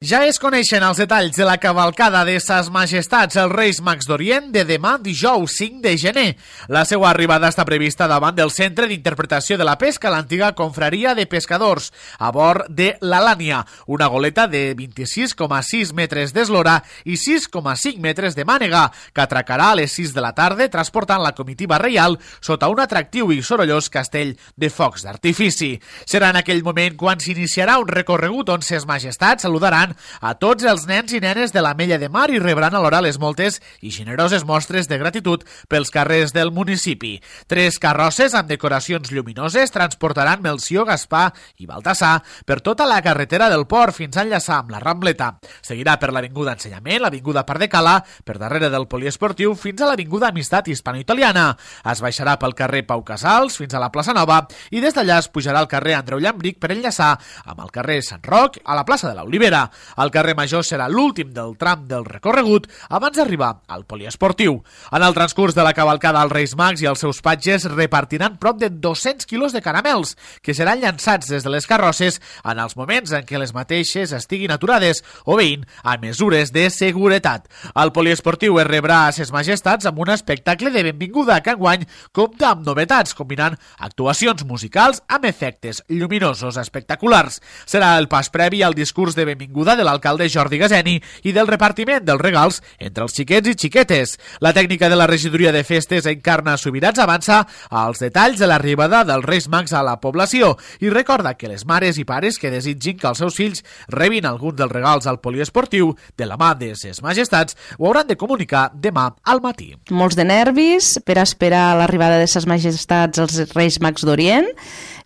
Ja es coneixen els detalls de la cavalcada de Ses Majestats els Reis Mags d'Orient de demà dijous 5 de gener. La seva arribada està prevista davant del Centre d'Interpretació de la Pesca, l'antiga confraria de pescadors, a bord de l'Alània, una goleta de 26,6 metres d'eslora i 6,5 metres de mànega, que atracarà a les 6 de la tarda transportant la comitiva reial sota un atractiu i sorollós castell de focs d'artifici. Serà en aquell moment quan s'iniciarà un recorregut on Ses Majestats saludaran a tots els nens i nenes de l'Ametlla de Mar i rebran alhora les moltes i generoses mostres de gratitud pels carrers del municipi. 3 carrosses amb decoracions lluminoses transportaran Melcior, Gaspar i Baltasar per tota la carretera del port fins a enllaçar amb la Rambleta. Seguirà per l'Avinguda Ensenyament, l'Avinguda Pardecala, per darrere del Poliesportiu fins a l'Avinguda Amistat Hispano-Italiana. Es baixarà pel carrer Pau Casals fins a la plaça Nova i des d'allà es pujarà al carrer Andreu Llambric per enllaçar amb el carrer Sant Roc a la plaça de l'Olivera. El carrer Major serà l'últim del tram del recorregut abans d'arribar al poliesportiu. En el transcurs de la cavalcada, els Reis Mags i els seus patges repartiran prop de 200 quilos de caramels que seran llançats des de les carrosses en els moments en què les mateixes estiguin aturades, obeint a mesures de seguretat. El poliesportiu es rebrà a Ses Majestats amb un espectacle de benvinguda que enguany compta amb novetats, combinant actuacions musicals amb efectes lluminosos espectaculars. Serà el pas previ al discurs de benvinguda de l'alcalde Jordi Gaseni i del repartiment dels regals entre els xiquets i xiquetes. La tècnica de la regidoria de festes Encarna Subirats avança als detalls de l'arribada dels Reis Mags a la població i recorda que les mares i pares que desitgin que els seus fills rebin alguns dels regals al poliesportiu de la mà de Ses Majestats ho hauran de comunicar demà al matí. Molts de nervis per esperar l'arribada de Ses Majestats als Reis Mags d'Orient,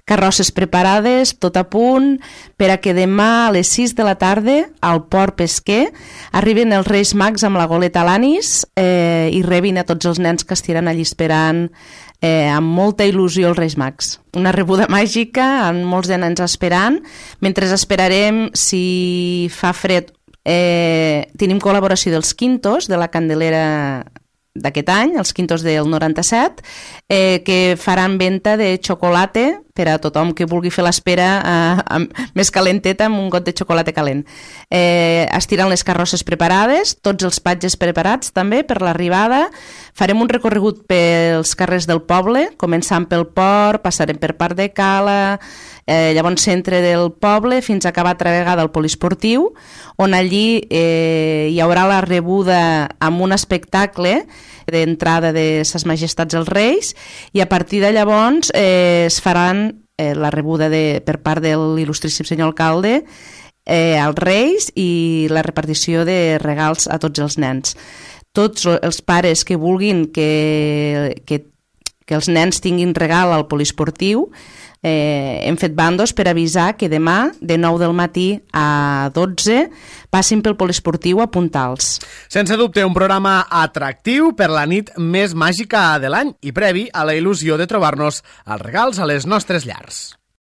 carrosses preparades, tot a punt, per a que demà a les 6 de la tarda al port pesquer arriben els Reis Mags amb la goleta Alanis i rebin a tots els nens que estiran allí esperant amb molta il·lusió els Reis Mags. Una rebuda màgica amb molts de nens esperant. Mentre esperarem, si fa fred, tenim col·laboració dels Quintos, de la Candelera d'aquest any, els Quintos del 97, que faran venda de xocolata per a tothom que vulgui fer l'espera més calenteta amb un got de xocolata calent. Estiran les carrosses preparades, tots els patges preparats també per l'arribada. Farem un recorregut pels carrers del poble, començant pel port, passarem per Pardecala, llavors centre del poble, fins a acabar altra vegada al poliesportiu, on allí hi haurà la rebuda amb un espectacle d'entrada de Ses Majestats els Reis i a partir de llavors es faran la rebuda per part de l'il·lustríssim senyor alcalde als Reis i la repartició de regals a tots els nens. Tots els pares que vulguin que els nens tinguin regal al poliesportiu hem fet bandos per avisar que demà de 9 del matí a 12 passin pel poliesportiu a Puntals. Sense dubte, un programa atractiu per la nit més màgica de l'any i previ a la il·lusió de trobar-nos els regals a les nostres llars.